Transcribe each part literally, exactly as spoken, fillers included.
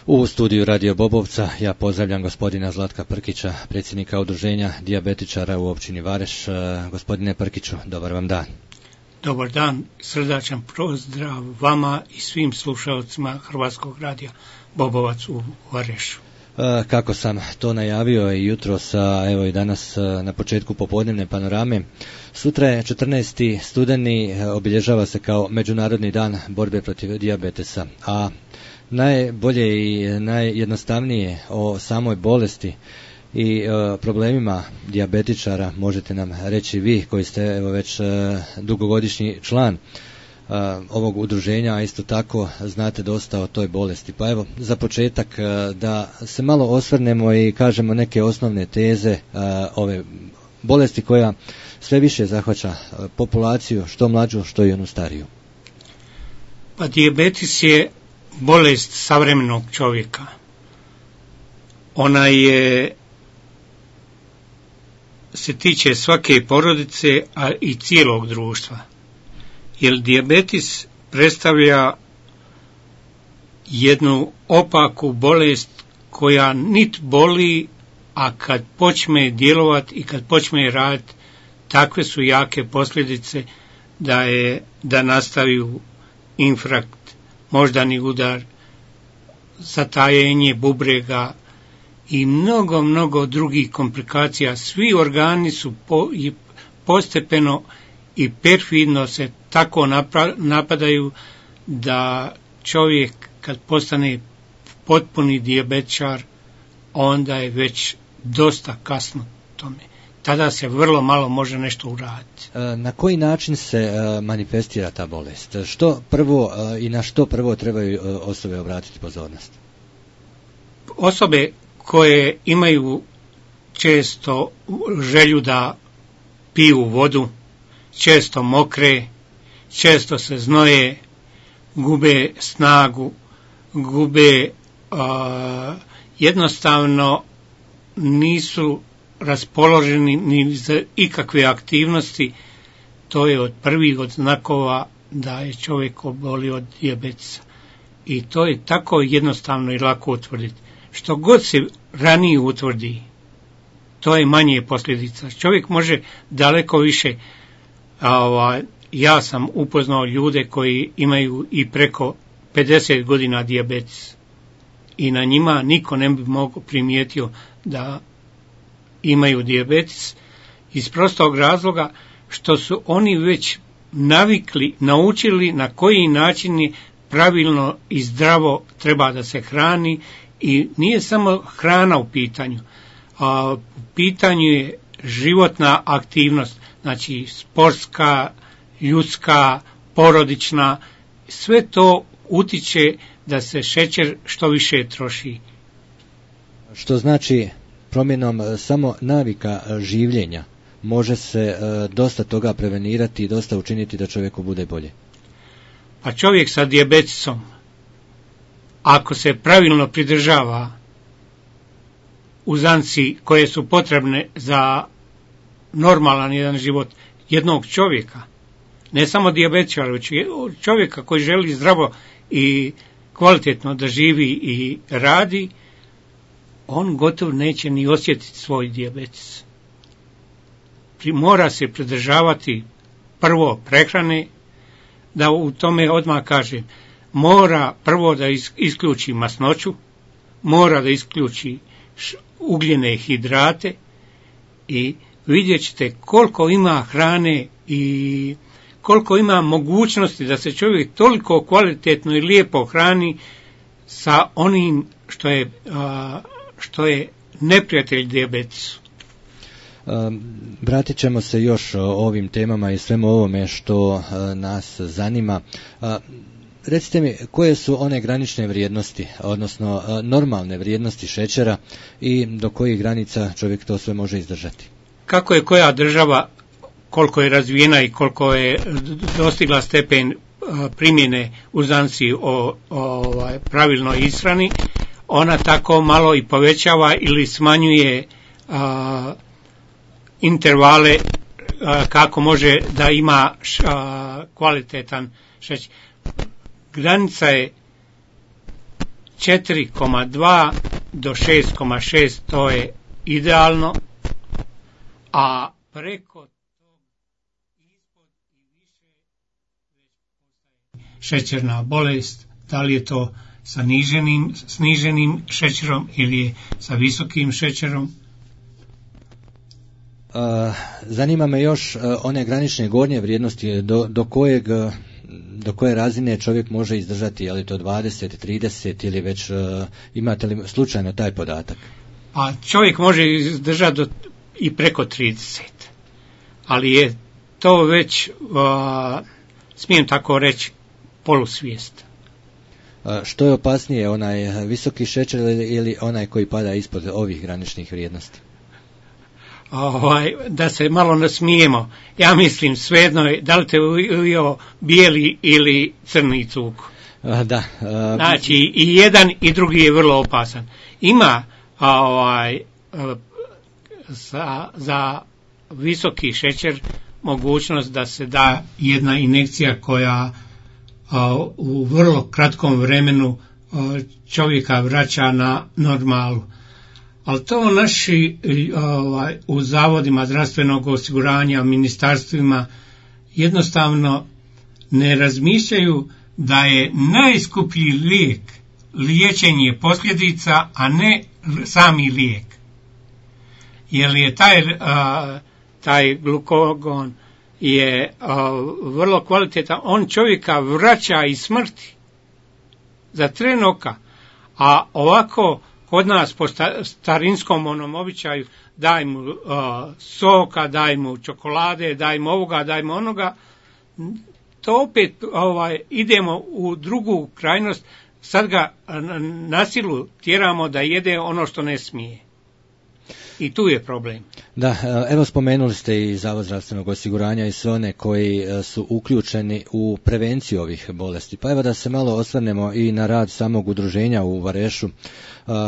U studiju Radio Bobovca ja pozdravljam gospodina Zlatka Prkića, predsjednika udruženja dijabetičara u općini Vareš. Gospodine Prkiću, dobar vam dan. Dobar dan, srdačan pozdrav vama i svim slušalcima Hrvatskog radija Bobovac u Varešu. Kako sam to najavio i jutros, evo i danas na početku popodnevne panorame, sutra je četrnaesti studeni, obilježava se kao Međunarodni dan borbe protiv dijabetesa, a najbolje i najjednostavnije o samoj bolesti i o problemima dijabetičara možete nam reći vi koji ste evo već dugogodišnji član ovog udruženja, a isto tako znate dosta o toj bolesti. Pa evo, za početak da se malo osvrnemo i kažemo neke osnovne teze ove bolesti koja sve više zahvaća populaciju, što mlađu, što i onu stariju. Pa dijabetes je bolest savremenog čovjeka. Ona je se tiče svake porodice, a i cijelog društva. Jer dijabetes predstavlja jednu opaku bolest koja nit boli, a kad počne djelovati i kad počne raditi, takve su jake posljedice da je da nastaju infarkt, moždani udar, zatajenje bubrega i mnogo, mnogo drugih komplikacija. Svi organi su po, postepeno i perfidno se tako napadaju da čovjek kad postane potpuni dijabetičar, onda je već dosta kasno tome. Tada se vrlo malo može nešto uraditi. Na koji način se manifestira ta bolest? Što prvo i na što prvo trebaju osobe obratiti pozornost? Osobe koje imaju često želju da piju vodu, često mokre, često se znoje, gube snagu, gube uh, jednostavno nisu raspoloženi ni za ikakve aktivnosti. To je od prvih od znakova da je čovjek obolio od dijabetesa. I to je tako jednostavno i lako utvrditi. Što god se ranije utvrdi, to je manje posljedica. Čovjek može daleko više. A, ja sam upoznao ljude koji imaju i preko pedeset godina dijabetes i na njima niko ne bi mogo primijetio da imaju dijabetes iz prostog razloga što su oni već navikli, naučili na koji način pravilno i zdravo treba da se hrani i nije samo hrana u pitanju, a u pitanju je životna aktivnost, znači sportska, ljudska, porodična, sve to utiče da se šećer što više troši. Što znači promjenom samo navika življenja može se dosta toga prevenirati i dosta učiniti da čovjeku bude bolje. Pa čovjek sa dijabetesom, ako se pravilno pridržava uzanci koje su potrebne za normalan jedan život jednog čovjeka, ne samo dijabetičara, već čovjeka koji želi zdravo i kvalitetno da živi i radi, on gotovo neće ni osjetiti svoj dijabetes. Mora se pridržavati prvo prehrane, da u tome odmah kažem, mora prvo da isključi masnoću, mora da isključi ugljene hidrate i vidjet ćete koliko ima hrane i koliko ima mogućnosti da se čovjek toliko kvalitetno i lijepo hrani sa onim što je, što je neprijatelj dijabetesu. Vratit ćemo se još o ovim temama i svemu ovome što nas zanima. Recite mi, koje su one granične vrijednosti, odnosno normalne vrijednosti šećera i do kojih granica čovjek to sve može izdržati? Kako je koja država, koliko je razvijena i koliko je dostigla stepen primjene uzanci o, o pravilnoj ishrani, ona tako malo i povećava ili smanjuje a, intervale a, kako može da ima a, kvalitetan šećer. Granica je četiri zarez dva do šest zarez šest to je idealno, a preko tog ispod i više šećerna bolest, da li je to sa niženim, sniženim šećerom ili je sa visokim šećerom. Uh, zanima me još uh, one granične gornje vrijednosti do, do kojeg do koje razine čovjek može izdržati, je li to dvadeset, trideset ili već uh, imate li slučajno taj podatak? Pa čovjek može izdržati do, i preko trideset, ali je to već uh, smijem tako reći polusvijest. Uh, što je opasnije, onaj visoki šećer ili, ili onaj koji pada ispod ovih graničnih vrijednosti? Ovaj, da se malo nasmijemo, ja mislim svejedno je da li te ujeo bijeli ili crni cuk. Uh, da. Uh, znači i jedan i drugi je vrlo opasan. Ima ovaj, za, za visoki šećer mogućnost da se da jedna injekcija koja a, u vrlo kratkom vremenu a, čovjeka vraća na normalu. Ali to naši ovaj, u zavodima zdravstvenog osiguranja, ministarstvima jednostavno ne razmišljaju da je najskuplji lijek liječenje posljedica, a ne sami lijek. Jer je taj, a, taj glukagon je a, vrlo kvalitetan, on čovjeka vraća iz smrti za tren oka, a ovako kod nas po starinskom onom običaju daj mu uh, soka, daj mu čokolade, daj mu ovoga, daj mu onoga, to opet ovaj, idemo u drugu krajnost, sad ga na silu tjeramo da jede ono što ne smije. I tu je problem. Da, evo spomenuli ste i Zavod zdravstvenog osiguranja i sve one koji su uključeni u prevenciju ovih bolesti. Pa evo da se malo osvrnemo i na rad samog udruženja u Varešu,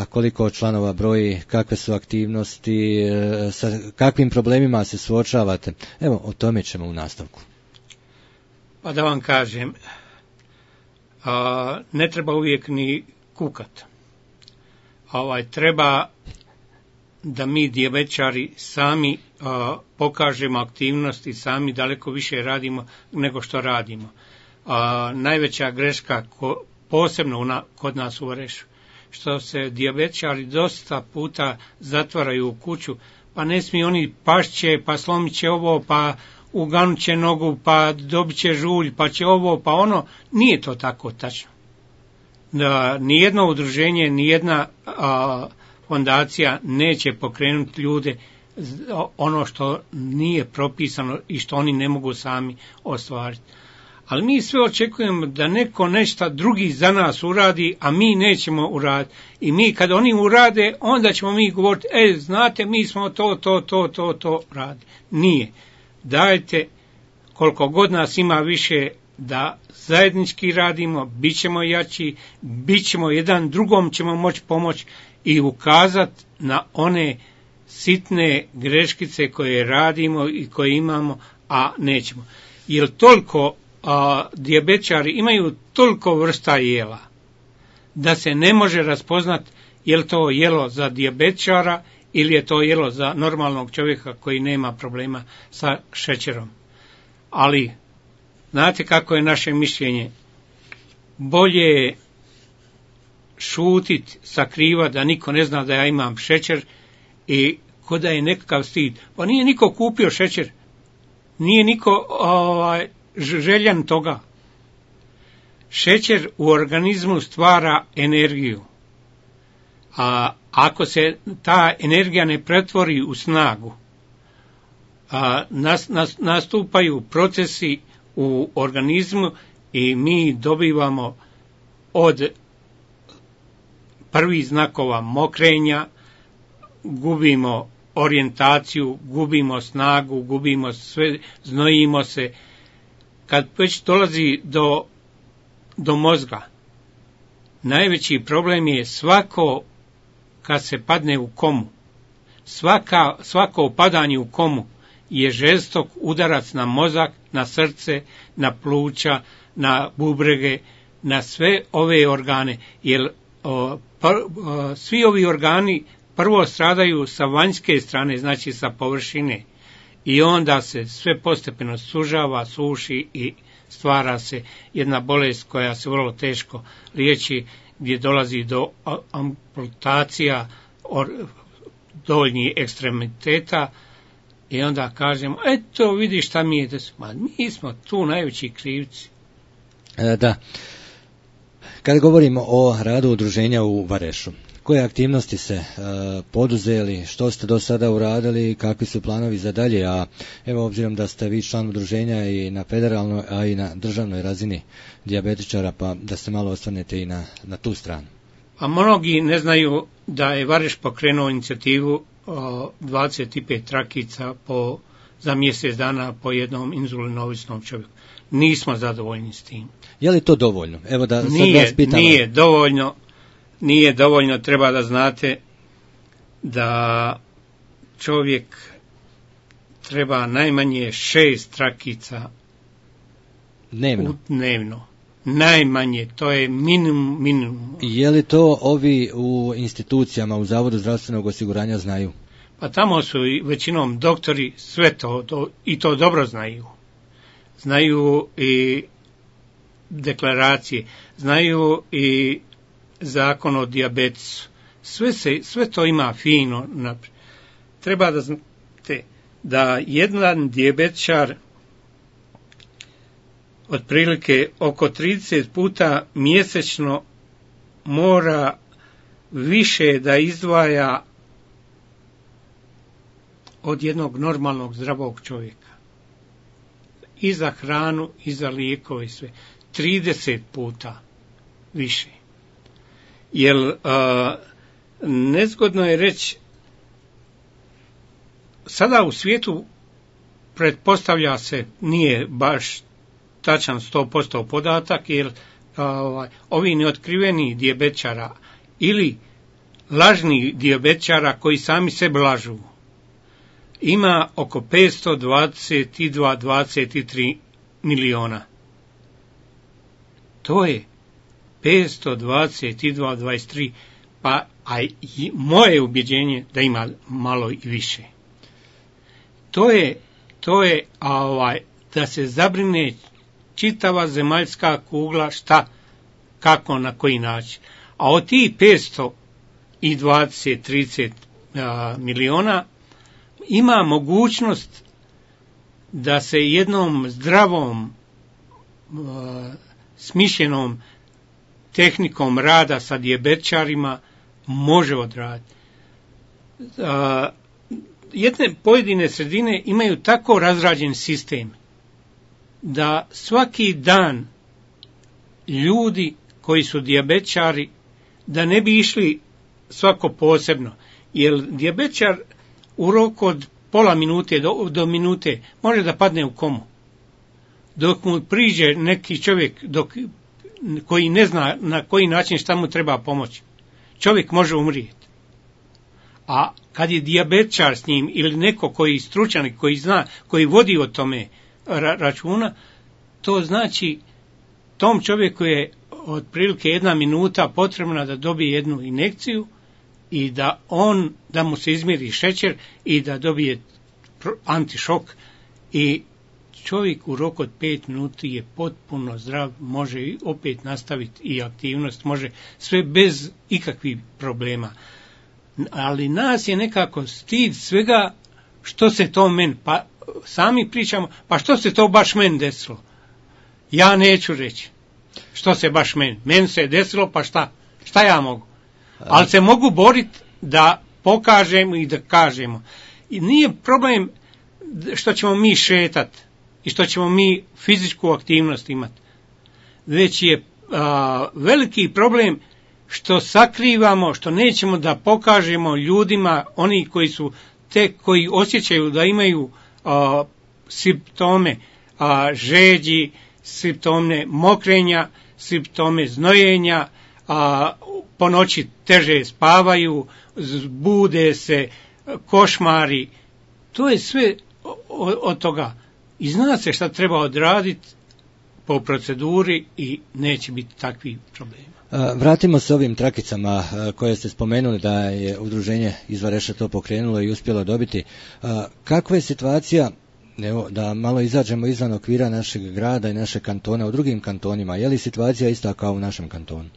koliko članova broji, kakve su aktivnosti, sa kakvim problemima se suočavate. Evo, o tome ćemo u nastavku. Pa da vam kažem, a, ne treba uvijek ni kukat. Ovaj, treba da mi dijabetičari sami a, pokažemo aktivnosti, sami daleko više radimo nego što radimo. A, najveća greška ko, posebno una, kod nas u Varešu, što se dijabetičari dosta puta zatvaraju u kuću, pa ne smiju oni pašće, pa slomit će ovo, pa uganut će nogu, pa dobit će žulj, pa će ovo, pa ono. Nije to tako tačno. Da, nijedno udruženje, nijedna a, fondacija neće pokrenuti ljude ono što nije propisano i što oni ne mogu sami ostvariti. Ali mi sve očekujemo da neko nešto drugi za nas uradi, a mi nećemo uraditi. I mi kad oni urade, onda ćemo mi govoriti, e, znate, mi smo to, to, to, to, to radili. Nije. Dajte, koliko god nas ima više, da zajednički radimo, bit ćemo jači, bit ćemo jedan drugom, ćemo moći pomoći i ukazati na one sitne greškice koje radimo i koje imamo, a nećemo. Jer toliko a, dijabetičari imaju toliko vrsta jela da se ne može raspoznati je li to jelo za dijabetičara ili je to jelo za normalnog čovjeka koji nema problema sa šećerom. Ali znate kako je naše mišljenje? Bolje je šutit, sakriva da niko ne zna da ja imam šećer i ko da je nekakav stid. Pa nije niko kupio šećer, nije niko ovaj, željan toga. Šećer u organizmu stvara energiju, a ako se ta energija ne pretvori u snagu, a, nas, nas, nastupaju procesi u organizmu i mi dobivamo od prvih znakova mokrenja, gubimo orijentaciju, gubimo snagu, gubimo sve, znojimo se. Kad već dolazi do, do mozga, najveći problem je svako kad se padne u komu. Svaka, svako padanje u komu je žestok udarac na mozak, na srce, na pluća, na bubrege, na sve ove organe, jer o, pa, o, svi ovi organi prvo stradaju sa vanjske strane, znači sa površine, i onda se sve postepeno sužava, suši i stvara se jedna bolest koja se vrlo teško liječi, gdje dolazi do amputacija donjih ekstremiteta, i onda kažemo, eto vidi šta mi je desilo. Mi smo tu najveći krivci. E, da. Kada govorimo o radu udruženja u Varešu, koje aktivnosti se e, poduzeli, što ste do sada uradili, kakvi su planovi za dalje, a evo obzirom da ste vi član udruženja i na federalnoj, a i na državnoj razini dijabetičara, pa da se malo osvrnete i na, na tu stranu. A mnogi ne znaju da je Vareš pokrenuo inicijativu o, dvadeset pet trakica po, za mjesec dana po jednom inzulinovisnom čovjeku. Nismo zadovoljni s tim. Je li to dovoljno? Evo da sad nije, vas pitam. Nije dovoljno. Nije dovoljno, treba da znate da čovjek treba najmanje šest trakica dnevno. dnevno. Najmanje, to je minimum, minimum. Je li to ovi u institucijama, u Zavodu zdravstvenog osiguranja znaju? Pa tamo su i većinom doktori sve to, to i to dobro znaju. Znaju i deklaracije, znaju i zakon o dijabetesu. Sve, se, sve to ima fino naprijed. Treba da znate da jedan dijabetičar otprilike oko trideset puta mjesečno mora više da izdvaja od jednog normalnog zdravog čovjeka. I za hranu, i za lijekove i sve. trideset puta više. Jer uh, nezgodno je reći, sada u svijetu pretpostavlja se, nije baš tačan sto posto podatak, jer uh, ovi neotkriveni dijabetičara ili lažni dijabetičara koji sami sebe lažu, ima oko petsto dvadeset dva do dvadeset tri miliona. To je petsto dvadeset dva do dvadeset tri, pa a i moje ubjeđenje da ima malo i više. To je, to je a, ovaj, da se zabrine čitava zemaljska kugla šta, kako, na koji način. A od tih petsto dvadeset do trideset a, miliona ima mogućnost da se jednom zdravom, a, smišljenom tehnikom rada sa dijabetičarima može odraditi. A, jedne pojedine sredine imaju tako razrađen sistem da svaki dan ljudi koji su dijabetičari, da ne bi išli svako posebno, jer dijabetičar u roku od pola minute do, do minute može da padne u komu. Dok mu priđe neki čovjek dok, koji ne zna na koji način šta mu treba pomoći, čovjek može umrijeti. A kad je dijabetičar s njim ili neko koji stručan, koji zna, koji vodi o tome ra- računa, to znači tom čovjeku je otprilike jedna minuta potrebna da dobije jednu injekciju i da on, da mu se izmjeri šećer i da dobije antišok, i čovjek u roku od pet minuti je potpuno zdrav, može opet nastaviti i aktivnost, može sve bez ikakvih problema. Ali nas je nekako stid svega što se to meni, pa sami pričamo, pa što se to baš meni desilo. Ja neću reći što se baš meni, meni se desilo, pa šta, šta ja mogu. Ali se mogu boriti da pokažemo i da kažemo. I nije problem što ćemo mi šetati i što ćemo mi fizičku aktivnost imati, već je a, veliki problem što sakrivamo, što nećemo da pokažemo ljudima, oni koji su te koji osjećaju da imaju a, simptome a, žeđi, simptome mokrenja, simptome znojenja, a, po noći teže spavaju, bude se, košmari, to je sve od toga. I zna se šta treba odraditi po proceduri i neće biti takvih problema. Vratimo se ovim trakicama koje ste spomenuli da je udruženje Izvareša to pokrenulo i uspjelo dobiti. Kakva je situacija, evo, da malo izađemo izvan okvira našeg grada i našeg kantona u drugim kantonima? Je li situacija ista kao u našem kantonu?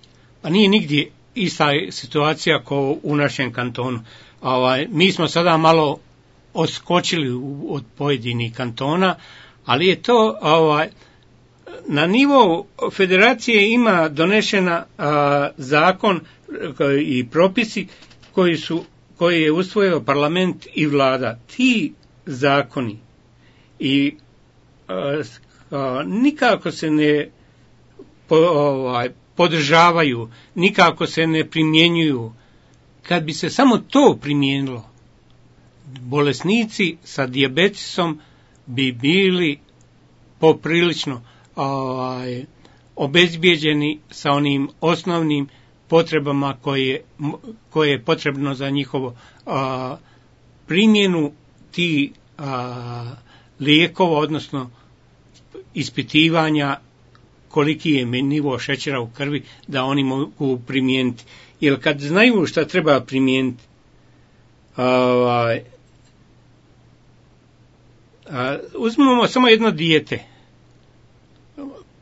Pa nije nigdje ista situacija kao u našem kantonu. Ovaj, mi smo sada malo odskočili od pojedinih kantona, ali je to ovaj, na nivou federacije ima donešena a, zakon i propisi koji su koji je usvojio parlament i vlada. Ti zakoni i a, a, nikako se ne po, ovaj, podržavaju, nikako se ne primjenjuju. Kad bi se samo to primijenilo, bolesnici sa dijabetisom bi bili poprilično ovaj, obezbijeđeni sa onim osnovnim potrebama koje, koje je potrebno za njihovo a, primjenu ti a, lijekova, odnosno ispitivanja koliki je nivo šećera u krvi da oni mogu primijeniti. Jer kad znaju šta treba primijeniti, ovaj, uzmemo samo jedno dijete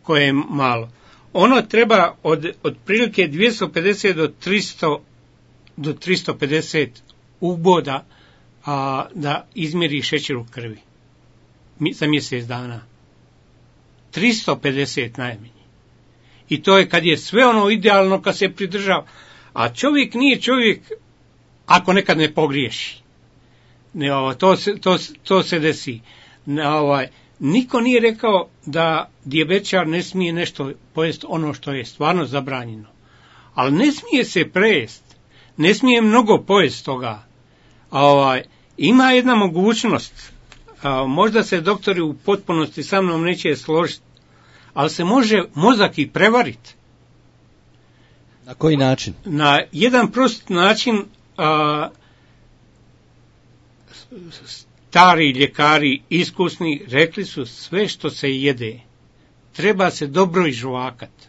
koje je malo. Ono treba od, od prilike dvjesto pedeset do tristo do tristo pedeset uboda a, da izmjeri šećer u krvi za mjesec dana. tristo pedeset najmanje. I to je kad je sve ono idealno, kad se pridržava. A čovjek nije čovjek ako nekad ne pogriješi. Ne, ovo, to, se, to, to se desi. Ne, ovaj, niko nije rekao da dijabetičar ne smije nešto pojesti ono što je stvarno zabranjeno. Ali ne smije se prejesti. Ne smije mnogo pojesti toga. A, ovaj, ima jedna mogućnost. A, možda se doktori u potpunosti sa mnom neće složiti. Ali se može mozak i prevariti. Na koji način? Na jedan prost način. A, stari ljekari iskusni rekli su sve što se jede treba se dobro izžvakati.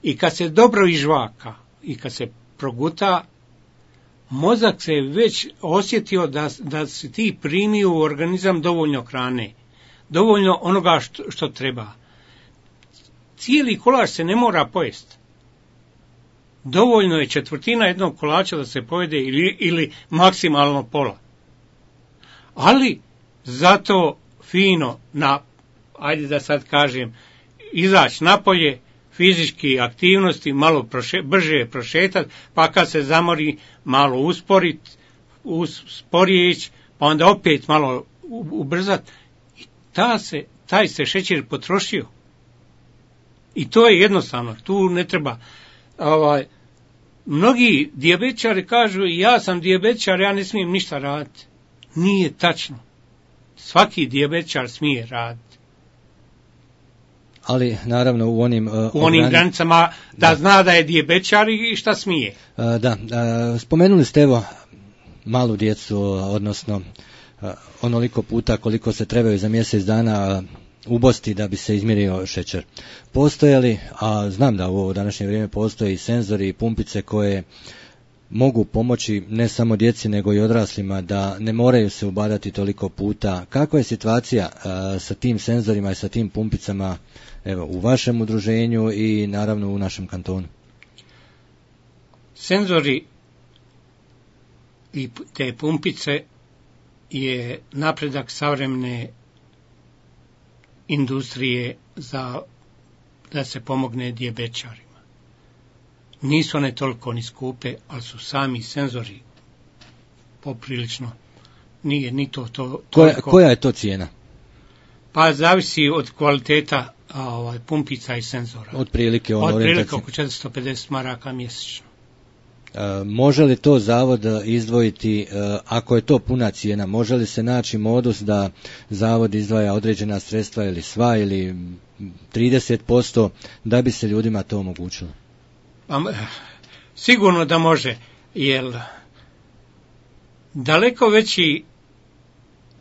I kad se dobro izžvaka i kad se proguta, mozak se već osjetio da, da se ti primio u organizam dovoljno hrane, dovoljno onoga što, što treba. Cijeli kolač se ne mora pojesti. Dovoljno je četvrtina jednog kolača da se pojede ili, ili maksimalno pola. Ali zato fino na, ajde da sad kažem, izaći napolje, fizički aktivnosti, malo proše, brže prošetati, pa kad se zamori malo usporiti, sporije ići, pa onda opet malo ubrzati. I ta se, taj se šećer potrošio. I to je jednostavno, tu ne treba. Ovaj, mnogi dijabetičari kažu, ja sam dijabetičar, ja ne smijem ništa raditi. Nije tačno. Svaki dijabetičar smije raditi. Ali naravno u onim uh, u onim granicama da, da zna da je dijabetičar i šta smije. Uh, da, uh, spomenuli ste evo malu djecu, odnosno uh, onoliko puta koliko se trebaju za mjesec dana uh, ubosti da bi se izmjerio šećer. Postoje li, a znam da u ovo današnje vrijeme postoje i senzori i pumpice koje mogu pomoći ne samo djeci nego i odraslima da ne moraju se ubadati toliko puta. Kakva je situacija a, sa tim senzorima i sa tim pumpicama evo, u vašem udruženju i naravno u našem kantonu? Senzori i te pumpice je napredak savremene industrije za da se pomogne dijabetičarima. Nisu one toliko ni skupe, ali su sami senzori poprilično. Nije ni to to. Koja, koja je to cijena? Pa zavisi od kvaliteta a, ovaj, pumpica i senzora. Od prilike ono Od prilike oko četiristo pedeset maraka mjesečno. E, može li to zavod izdvojiti, e, ako je to puna cijena, može li se naći modus da zavod izdvaja određena sredstva ili sva ili trideset posto da bi se ljudima to omogućilo? Pa, sigurno da može, jer daleko veći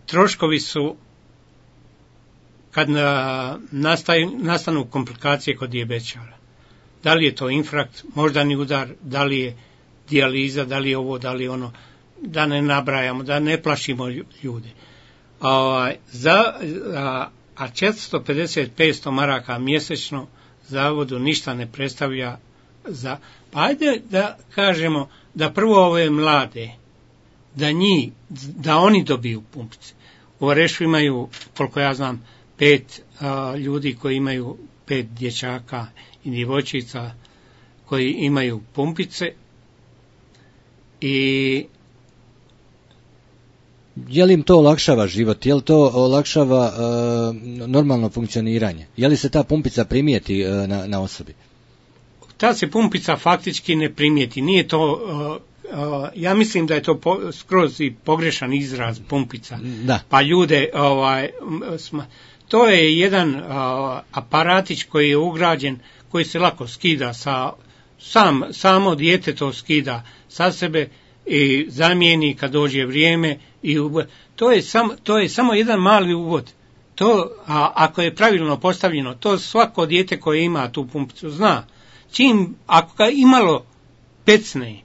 troškovi su kad na, nastaju, nastanu komplikacije kod dijabetičara. Da li je to infarkt, moždani udar, da li je dijaliza, da li je ovo, da li je ono, da ne nabrajamo, da ne plašimo ljude. A, za, a, a četiristo pedeset do petsto maraka mjesečno zavodu ništa ne predstavlja za... Pa ajde da kažemo da prvo ove mlade, da njih, da oni dobiju pumpice. U Orešu imaju, koliko ja znam, pet a, ljudi koji imaju pet dječaka i djevojčica koji imaju pumpice i je li im to olakšava život, je li to olakšava uh, normalno funkcioniranje, je li se ta pumpica primijeti uh, na, na osobi? Ta se pumpica faktički ne primijeti, nije to, uh, uh, ja mislim da je to po, skroz i pogrešan izraz pumpica, da. Pa ljude, ovaj, sma, to je jedan uh, aparatić koji je ugrađen, koji se lako skida, sa, sam, samo dijete to skida sa sebe i zamijeni kad dođe vrijeme i uvod. To je, sam, to je samo jedan mali uvod. To, a ako je pravilno postavljeno, to svako dijete koje ima tu pumpicu zna. Čim, ako ga imalo pecne,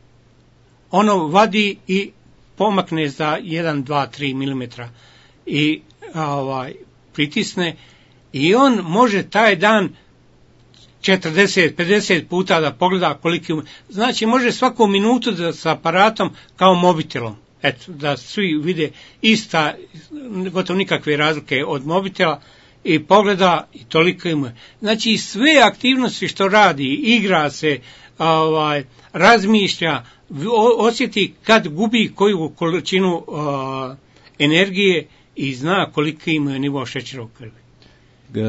ono vadi i pomakne za jedan, dva, tri milimetra i ovaj, pritisne i on može taj dan četrdeset, pedeset puta da pogleda koliki, znači može svaku minutu da s aparatom kao mobitelom, eto, da svi vide ista, gotovo nikakve razlike od mobitela i pogleda i toliko ima. Znači sve aktivnosti što radi, igra se, ovaj, razmišlja, osjeti kad gubi koju količinu uh, energije i zna koliki ima nivo šećera u krvi.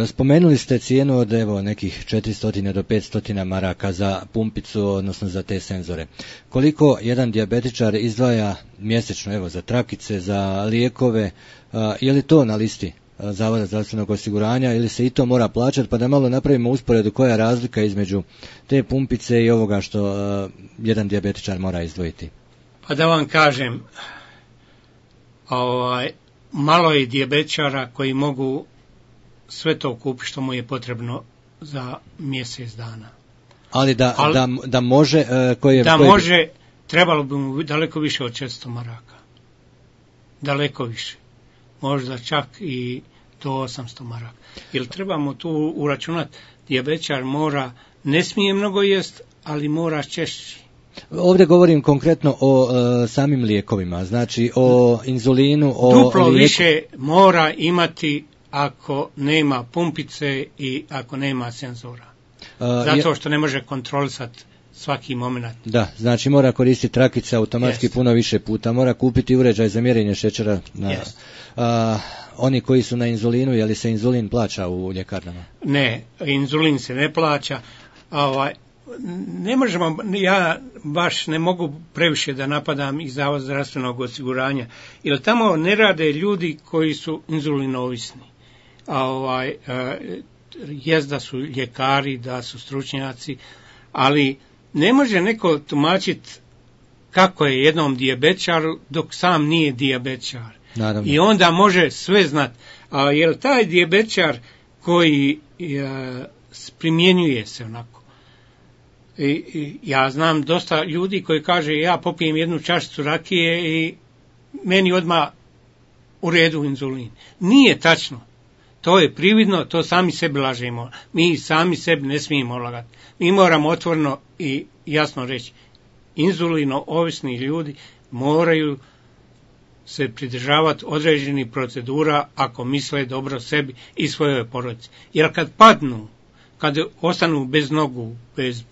Spomenuli ste cijenu od evo nekih četiristo do petsto maraka za pumpicu, odnosno za te senzore. Koliko jedan dijabetičar izdvaja mjesečno evo za trakice, za lijekove, a, je li to na listi Zavoda zdravstvenog osiguranja ili se i to mora plaćati, pa da malo napravimo usporedu koja je razlika između te pumpice i ovoga što a, jedan dijabetičar mora izdvojiti? Pa da vam kažem, ovaj, malo je dijabetičara koji mogu sve to kupiti što mu je potrebno za mjesec dana. Ali da, Ali, da, da može... Uh, koje, da koje... može, trebalo bi mu daleko više od četiristo maraka. Daleko više. Možda čak i do osamsto maraka. Jer trebamo tu uračunati, dijabetičar mora, ne smije mnogo jest, ali mora češći. Ovdje govorim konkretno o uh, samim lijekovima, znači o inzulinu, o Duplo lijeku... više mora imati ako nema pumpice i ako nema senzora. Uh, Zato što ne može kontrolisati svaki moment. Da, znači mora koristiti trakice automatski yes. puno više puta, mora kupiti uređaj za mjerenje šećera. Na, yes. uh, oni koji su na inzulinu, je li se inzulin plaća u ljekarnama? Ne, inzulin se ne plaća. Ovaj, ne možemo, ja baš ne mogu previše da napadam i Zavod zdravstvenog osiguranja, jer tamo ne rade ljudi koji su inzulinovisni. A ovaj, jest da su ljekari, da su stručnjaci, ali ne može neko tumačiti kako je jednom dijabetičaru dok sam nije dijabetičar. Naravno. I onda može sve znati. A jer taj dijabetičar koji je, primjenjuje se onako. I, i, ja znam dosta ljudi koji kaže ja popijem jednu čašicu rakije i meni odmah u redu inzulin. Nije tačno. To je prividno, to sami sebi lažemo. Mi sami sebi ne smijemo lagati. Mi moramo otvoreno i jasno reći, inzulino ovisni ljudi moraju se pridržavati određenih procedura ako misle dobro sebi i svojoj porodici. Jer kad padnu, kad ostanu bez nogu, bez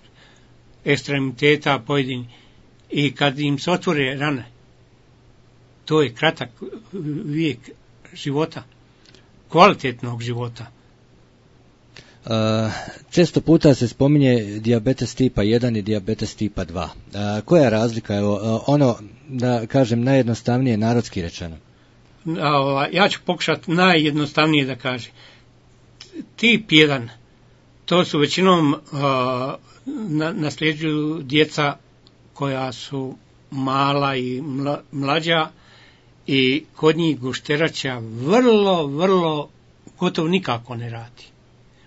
ekstremiteta pojedini i kad im se otvore rane, to je kratak vijek života, kvalitetnog života. Uh, često puta se spominje dijabetes tipa jedan i dijabetes tipa dva. Uh, koja je razlika? Evo, uh, ono, da kažem, najjednostavnije narodski rečeno. Uh, ja ću pokušati najjednostavnije da kažem. Tip jedan, to su većinom uh, na, nasljeđuju djeca koja su mala i mla, mlađa i kod njih gušterača vrlo, vrlo gotovo nikako ne radi.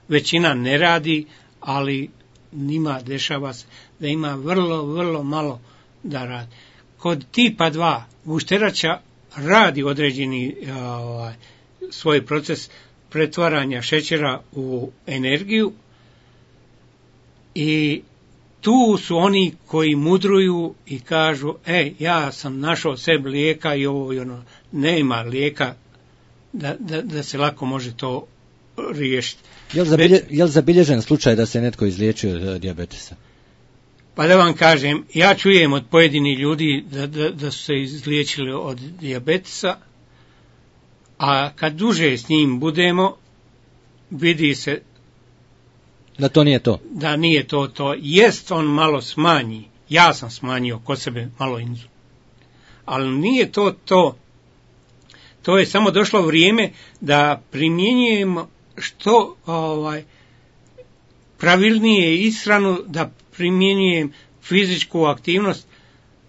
Većina ne radi, ali njima dešava se da ima vrlo, vrlo malo da radi. Kod tipa dva gušterača radi određeni ovaj, svoj proces pretvaranja šećera u energiju i tu su oni koji mudruju i kažu, ej, ja sam našao sebi lijeka i ovo i ono, nema lijeka da, da, da se lako može to riješiti. Je li, zabilje, je li zabilježen slučaj da se netko izliječio od dijabetesa? Pa da vam kažem, ja čujem od pojedinih ljudi da, da, da su se izliječili od dijabetesa, a kad duže s njim budemo, vidi se da to nije to. Da nije to to. Jest on malo smanji. Ja sam smanjio kod sebe malo inzulin. Ali nije to to. To je samo došlo vrijeme da primjenjujemo što ovaj, pravilnije ishranu, da primjenjujem fizičku aktivnost.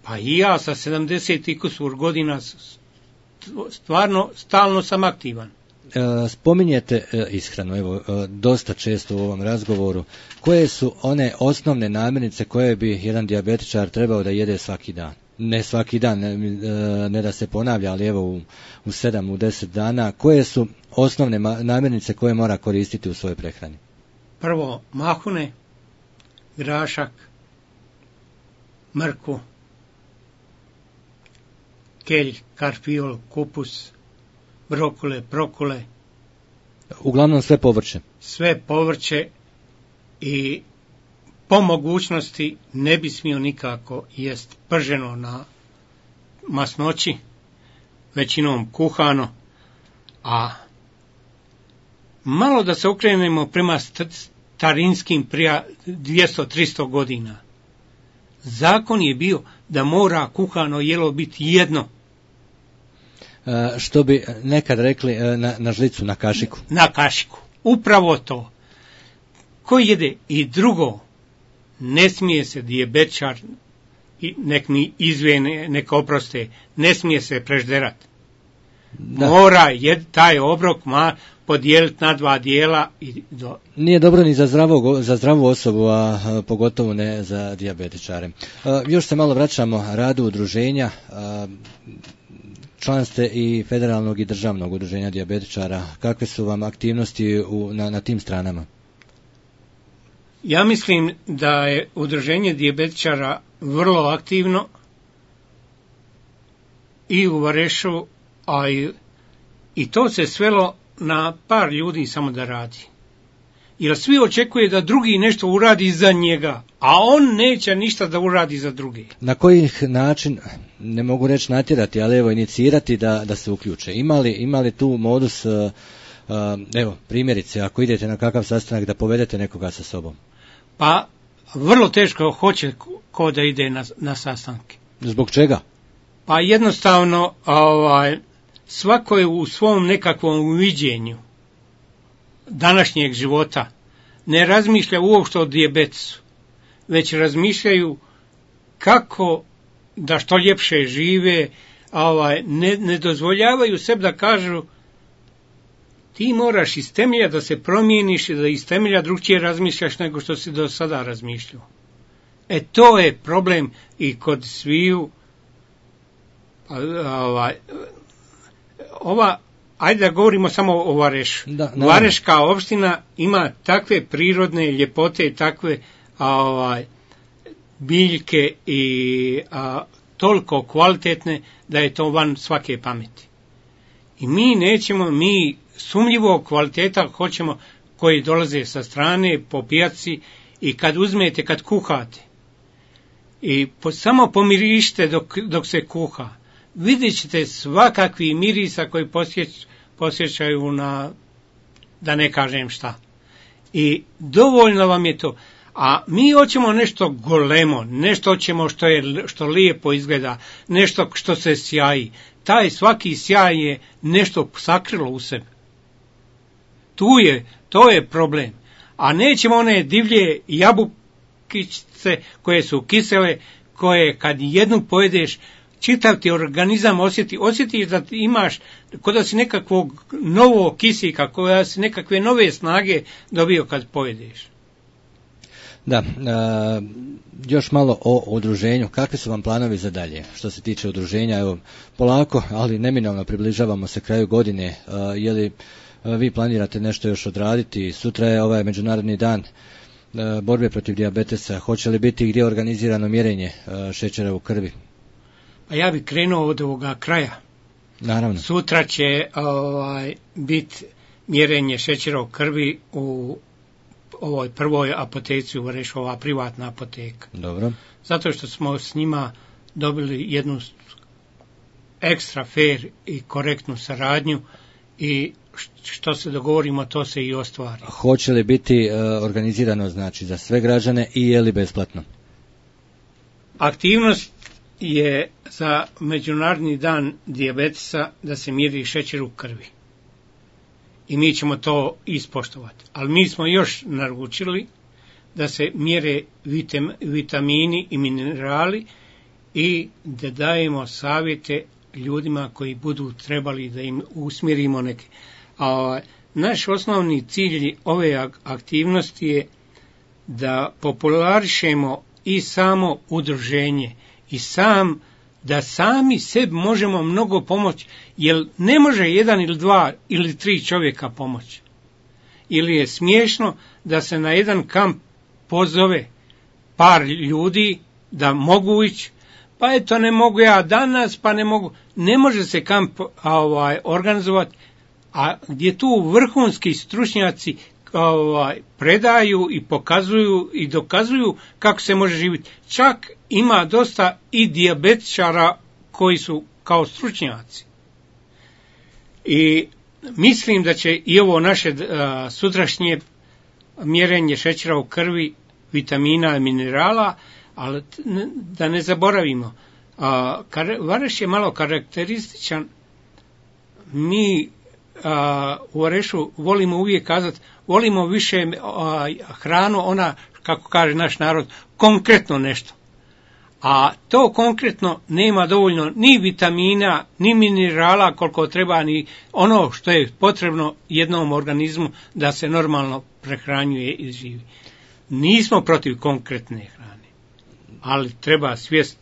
Pa i ja sa sedamdeset i kusur godina stvarno stalno sam aktivan. Spominjete ishranu, evo, dosta često u ovom razgovoru. Koje su one osnovne namirnice koje bi jedan dijabetičar trebao da jede svaki dan? Ne svaki dan, ne, ne da se ponavlja, ali evo u, u sedam, u deset dana. Koje su osnovne namirnice koje mora koristiti u svojoj prehrani? Prvo, mahune, grašak, mrkvu, kelj, karfiol, kupus, brokule, prokule. Uglavnom sve povrće. Sve povrće i po mogućnosti ne bi smio nikako jest prženo na masnoći, većinom kuhano, a malo da se okrenemo prema starinskim prija dvjesto do tristo godina. Zakon je bio da mora kuhano jelo biti jedno. Što bi nekad rekli na, na žlicu, na kašiku. Na kašiku. Upravo to. Ko jede i drugo, ne smije se dijabetičar, nek mi izvene, nek oproste, ne smije se prežderati. Mora jed, taj obrok ma podijeliti na dva dijela. I do... Nije dobro ni za, zdravog, za zdravu osobu, a, a pogotovo ne za dijabetičare. A, još se malo vraćamo radu udruženja. A, član ste i federalnog i državnog udruženja dijabetičara. Kakve su vam aktivnosti u, na, na tim stranama? Ja mislim da je udruženje dijabetičara vrlo aktivno i u Varešu, a i, i to se svelo na par ljudi samo da radi. Jer svi očekuje da drugi nešto uradi za njega, a on neće ništa da uradi za drugi. Na koji način, ne mogu reći natjerati, ali evo inicirati da, da se uključe? Imali, imali tu modus, uh, uh, evo primjerice, ako idete na kakav sastanak da povedete nekoga sa sobom? Pa vrlo teško hoće ko da ide na, na sastanke. Zbog čega? Pa jednostavno ovaj, svako je u svom nekakvom uviđenju današnjeg života ne razmišlja uopšte o dijabetesu, već razmišljaju kako da što ljepše žive, ovaj, ne, ne dozvoljavaju sebi da kažu ti moraš iz temelja da se promijeniš i da iz temelja drugčije razmišljaš nego što si do sada razmišljao. E to je problem i kod sviju. Ovaj, ova, ajde da govorimo samo o Varešu. Da, Vareška opština ima takve prirodne ljepote, takve ovaj, biljke i a, toliko kvalitetne da je to van svake pameti. I mi nećemo, mi sumnjivo kvaliteta hoćemo koji dolaze sa strane po pijaci i kad uzmete, kad kuhate i po, samo pomirište dok, dok se kuha, vidjet ćete svakakvi mirisa koji posjeć, posjećaju na, da ne kažem šta. I dovoljno vam je to. A mi hoćemo nešto golemo, nešto hoćemo što, je, što lijepo izgleda, nešto što se sjaji. Taj svaki sjaj je nešto sakrilo u sebi. Tu je, to je problem. A nećemo one divlje jabukice koje su kisele, koje kad jednu pojedeš, čitav ti organizam osjeti, osjetiš da ti imaš, kod da si nekakvog novog kisika, koja si nekakve nove snage dobio kad pojedeš. Da, a, još malo o udruženju. Kakvi su vam planovi za dalje? Što se tiče udruženja, evo, polako, ali neminovno približavamo se kraju godine. A, je li a, vi planirate nešto još odraditi? Sutra je ovaj Međunarodni dan a, borbe protiv dijabetesa. Hoće li biti gdje organizirano mjerenje a, šećera u krvi? Pa ja bih krenuo od ovoga kraja. Naravno. Sutra će ovaj, biti mjerenje šećera u krvi u ovoj prvoj apoteci u Varešu, ova privatna apoteka. Dobro. Zato što smo s njima dobili jednu ekstra fair i korektnu saradnju i što se dogovorimo, to se i ostvari. Hoće li biti uh, organizirano, znači, za sve građane i je li besplatno? Aktivnost je za Međunarodni dan dijabetesa da se mjeri šećer u krvi. I mi ćemo to ispoštovati. Ali mi smo još naručili da se mjere vitam, vitamini i minerali i da dajemo savjete ljudima koji budu trebali da im usmjerimo neke. A naš osnovni cilj ove aktivnosti je da popularišemo i samo udruženje i sam da sami sebi možemo mnogo pomoći, jer ne može jedan ili dva ili tri čovjeka pomoći. Ili je smiješno da se na jedan kamp pozove par ljudi da mogu ići, pa eto ne mogu ja danas, pa ne mogu. Ne može se kamp ovaj, organizovati, a gdje tu vrhunski stručnjaci ovaj, predaju i pokazuju i dokazuju kako se može živjeti. Čak ima dosta i dijabetičara koji su kao stručnjaci. I mislim da će i ovo naše a, sutrašnje mjerenje šećera u krvi, vitamina i minerala, ali da ne zaboravimo, a, kar, Vareš je malo karakterističan. Mi a, u Varešu volimo uvijek kazati, volimo više a, hranu, ona, kako kaže naš narod, konkretno nešto. A to konkretno nema dovoljno ni vitamina, ni minerala koliko treba, ni ono što je potrebno jednom organizmu da se normalno prehranjuje i živi. Nismo protiv konkretne hrane, ali treba svijest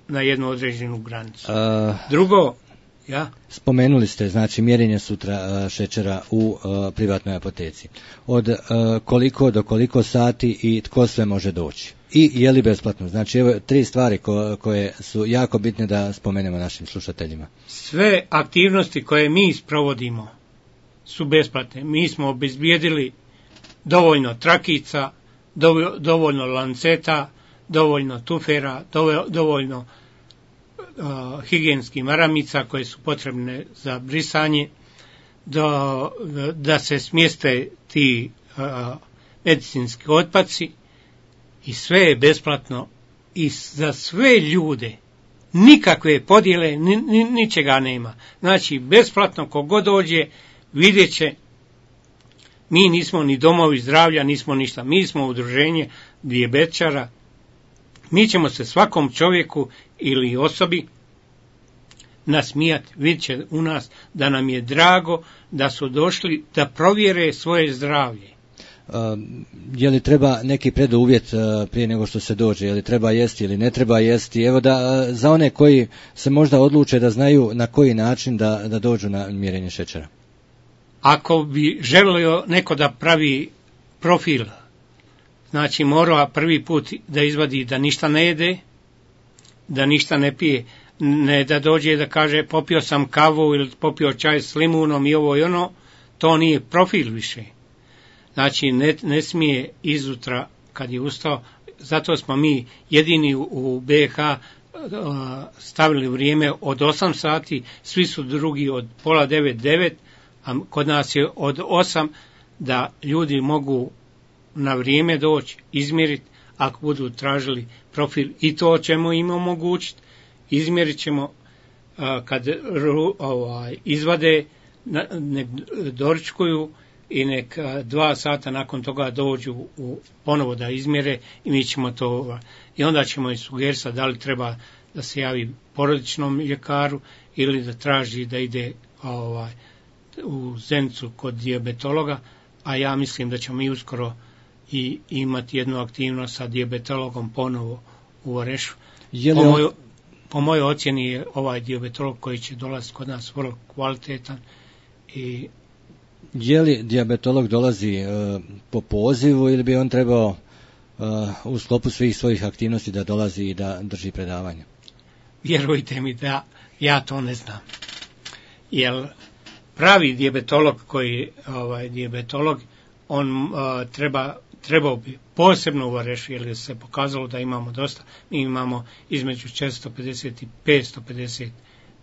na jednu određenu granicu. Uh, Drugo, ja? Spomenuli ste, znači, mjerenje sutra uh, šećera u uh, privatnoj apoteci. Od uh, koliko do koliko sati i tko sve može doći? I je li besplatno? Znači, evo tri stvari ko, koje su jako bitne da spomenemo našim slušateljima. Sve aktivnosti koje mi sprovodimo su besplatne. Mi smo obezbijedili dovoljno trakica, dovoljno lanceta, dovoljno tufera, dovoljno uh, higijenskih maramica koje su potrebne za brisanje, do, da se smjeste ti uh, medicinski otpaci. I sve je besplatno i za sve ljude, nikakve podjele, ni, ni, ničega nema. Znači, besplatno kogod dođe, vidjet će, mi nismo ni domovi zdravlja, nismo ništa, mi smo udruženje dijabetičara, mi ćemo se svakom čovjeku ili osobi nasmijati, vidjet će u nas da nam je drago da su došli da provjere svoje zdravlje. Uh, je li treba neki preduvjet uh, prije nego što se dođe, je li treba jesti ili ne treba jesti, evo da uh, za one koji se možda odluče da znaju na koji način da, da dođu na mjerenje šećera. Ako bi želio neko da pravi profil, znači mora prvi put da izvadi da ništa ne jede, da ništa ne pije, ne da dođe da kaže popio sam kavu ili popio čaj s limunom i ovo i ono, to nije profil više. Znači, ne, ne smije izutra kad je ustao, zato smo mi jedini u, u B iH uh, stavili vrijeme od osam sati, svi su drugi od pola devet, devet, a kod nas je od osam, da ljudi mogu na vrijeme doći, izmjeriti, ako budu tražili profil, i to ćemo im omogućiti, izmjerit ćemo uh, kad ru, ovaj, izvade, na, nek doručkuju, i nek dva sata nakon toga dođu u ponovo da izmjere i mi ćemo to, i onda ćemo i sugerisati da li treba da se javi porodičnom ljekaru ili da traži da ide ovaj, u Zenicu kod dijabetologa, a ja mislim da ćemo mi uskoro i imati jednu aktivnost sa dijabetologom ponovo u Varešu. Je li po, on... moj, po mojoj ocjeni je ovaj dijabetolog koji će dolaziti kod nas vrlo kvalitetan. I je li dijabetolog dolazi uh, po pozivu ili bi on trebao uh, u sklopu svih svojih aktivnosti da dolazi i da drži predavanje? Vjerujte mi da ja to ne znam. Jer pravi dijabetolog koji ovaj dijabetolog on uh, treba trebao bi posebno u Varešu, jer se pokazalo da imamo dosta. Mi imamo između četiristo pedeset i petsto pedeset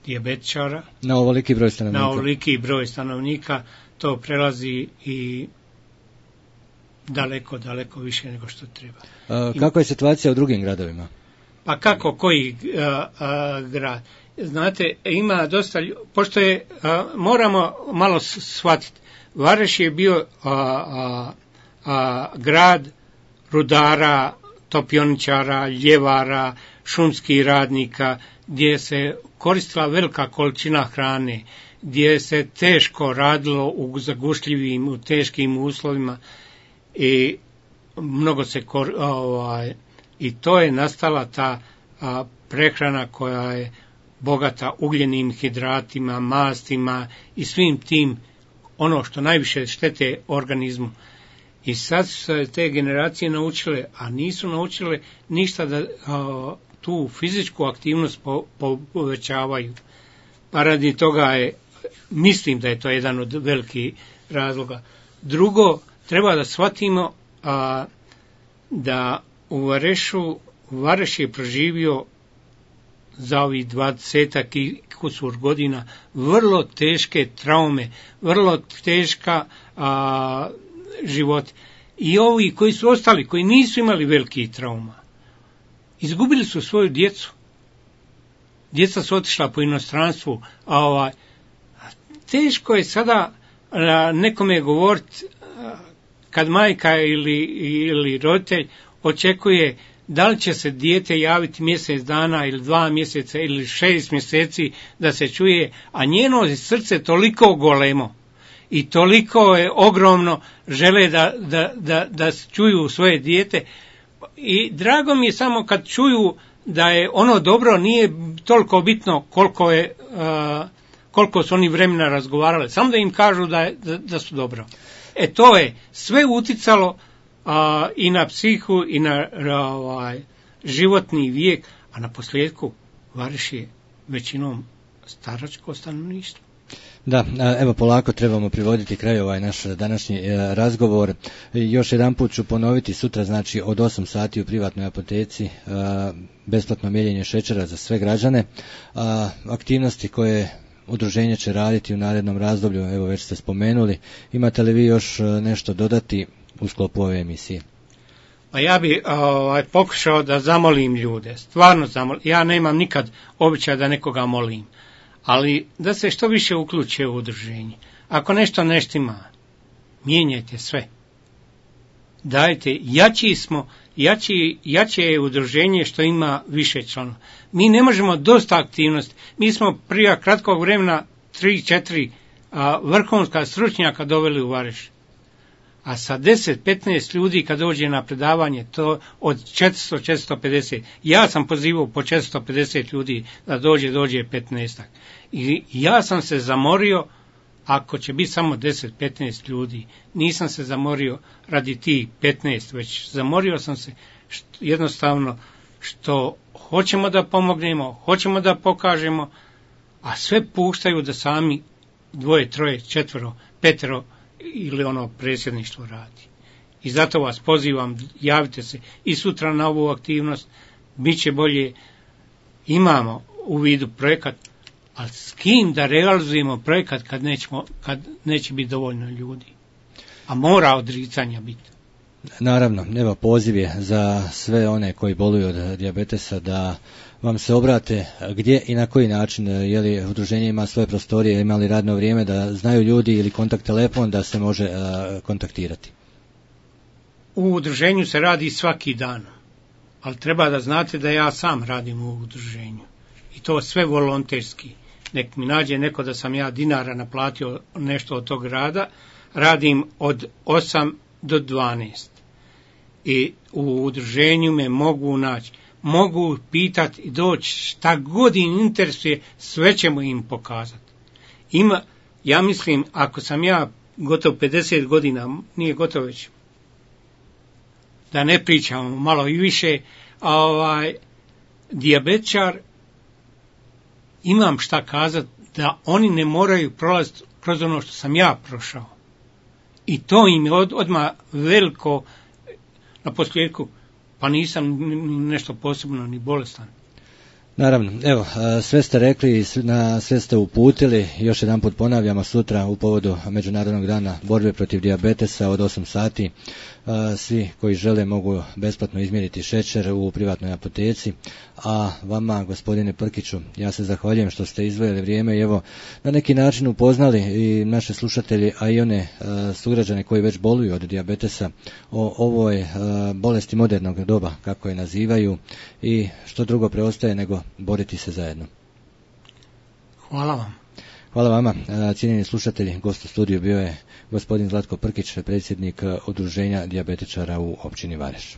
dijabetičara. Na ovoliki broj stanovnika. Na ovoliki broj stanovnika to prelazi i daleko, daleko više nego što treba. Uh, kako je situacija u drugim gradovima? Pa kako, koji uh, uh, grad? Znate, ima dosta, pošto je, uh, moramo malo shvatiti, Vareš je bio uh, uh, uh, grad rudara, topioničara, ljevara, šumskih radnika, gdje se koristila velika količina hrane, gdje se teško radilo u zagušljivim, u teškim uslovima i mnogo se kor, ovaj, i to je nastala ta a, prehrana koja je bogata ugljenim hidratima, mastima i svim tim ono što najviše štete organizmu. I sad su se te generacije naučile, a nisu naučile ništa da a, tu fizičku aktivnost po, po, povećavaju. Pa radi toga je, mislim da je to jedan od velikih razloga. Drugo, treba da shvatimo a, da u Varešu, Vareš je proživio za ovih dvadesetak i kusur godina vrlo teške traume, vrlo teška a, život. I ovi koji su ostali, koji nisu imali velikih trauma, izgubili su svoju djecu. Djeca su otišla po inostranstvu, a ovaj, teško je sada a, nekome govoriti kad majka ili, ili roditelj očekuje da li će se dijete javiti mjesec dana ili dva mjeseca ili šest mjeseci da se čuje, a njeno srce toliko golemo i toliko je ogromno, žele da, da, da, da čuju svoje dijete. I drago mi je samo kad čuju da je ono dobro, nije toliko bitno koliko je uh, koliko su oni vremena razgovarali, samo da im kažu da, je, da, da su dobro. E to je sve uticalo a, i na psihu i na ovaj, životni vijek, a na posljedku Vareš je većinom staračko stanovništvo. Da, evo polako trebamo privoditi kraju ovaj naš današnji razgovor. Još jedan put ću ponoviti, sutra znači od osam sati u privatnoj apoteci besplatno mjerenje šećera za sve građane. Aktivnosti koje udruženje će raditi u narednom razdoblju, evo već ste spomenuli. Imate li vi još nešto dodati u sklopu ove emisije? Pa ja bi ovaj, pokušao da zamolim ljude, stvarno zamolim, ja nemam nikad običaj da nekoga molim, ali da se što više uključe u udruženje. Ako nešto neštima, mijenjajte sve. Dajte, jači smo, jači, jače je udruženje što ima više članova. Mi ne možemo dosta aktivnosti. Mi smo prije kratkog vremena tri, četiri vrhunska stručnjaka doveli u Vareš. A sa deset, petnaest ljudi kad dođe na predavanje, to od četiristo do četiristo pedeset. Ja sam pozivao po četiristo pedeset ljudi da dođe, dođe petnaest. I ja sam se zamorio, ako će biti samo deset, petnaest ljudi, nisam se zamorio radi tih petnaest, već zamorio sam se što, jednostavno što hoćemo da pomognemo, hoćemo da pokažemo, a sve puštaju da sami dvoje, troje, četvero, petero ili ono predsjedništvo radi. I zato vas pozivam, javite se i sutra na ovu aktivnost, bit će bolje, imamo u vidu projekat, ali s kim da realizujemo projekat kad, nećemo, kad neće biti dovoljno ljudi? A mora odricanja biti. Naravno, evo poziv je za sve one koji boluju od dijabetesa da vam se obrate gdje i na koji način, je li udruženje ima svoje prostorije, ima li radno vrijeme, da znaju ljudi ili kontakt telefon da se može uh, kontaktirati. U udruženju se radi svaki dan. ali treba da znate da ja sam radim u udruženju. I to sve volonterski. Nek mi nađe neko da sam ja dinara naplatio nešto od tog rada, radim od osam do dvanaest. I u udruženju me mogu naći. Mogu pitati i doći šta god im interesuje, sve ćemo im pokazati. Ima, ja mislim, ako sam ja gotovo pedeset godina, nije gotovo već, da ne pričamo malo i više, ovaj, dijabetičar, imam šta kazati da oni ne moraju prolaziti kroz ono što sam ja prošao. I to im je od, odmah veliko, na posljedku, pa nisam nešto posebno ni bolestan. Naravno, evo, sve ste rekli, sve ste uputili, još jedan put ponavljamo sutra u povodu Međunarodnog dana borbe protiv dijabetesa od osam sati. Svi koji žele mogu besplatno izmjeriti šećer u privatnoj apoteci, a vama, gospodine Prkiću, ja se zahvaljujem što ste izdvojili vrijeme i evo na neki način upoznali i naše slušatelji, a i one sugrađane koji već boluju od dijabetesa o ovoj bolesti modernog doba, kako je nazivaju, i što drugo preostaje nego boriti se zajedno. Hvala vam. Hvala vama, cijenjeni slušatelji. Gost u studiju bio je gospodin Zlatko Prkić, predsjednik Udruženja dijabetičara u općini Vareš.